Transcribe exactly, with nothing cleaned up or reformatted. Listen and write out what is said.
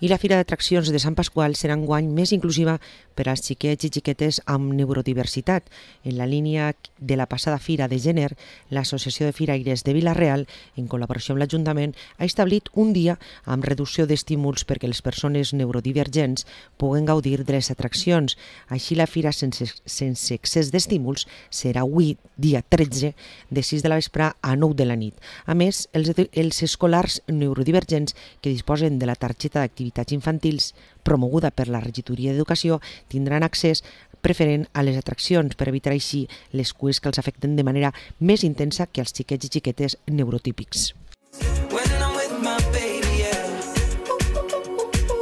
I la Fira d'Atraccions de Sant Pasqual serà enguany més inclusiva per als xiquets i xiquetes amb neurodiversitat. En la línia de la passada Fira de Gener, l'Associació de Firaires de Vila-real, en col·laboració amb l'Ajuntament, ha establit un dia amb reducció d'estímuls perquè les persones neurodivergents puguen gaudir de les atraccions. Així, la Fira sense, sense excés d'estímuls serà avui, dia tretze, de sis de la vespre a nou de la nit. A més, els, els escolars neurodivergents que disposen de la targeta d'activitats infantils promoguda per la Regidoria d'Educació tindran accés preferent a les atraccions per evitar així les cues que els afecten de manera més intensa que els xiquets i xiquetes neurotípics.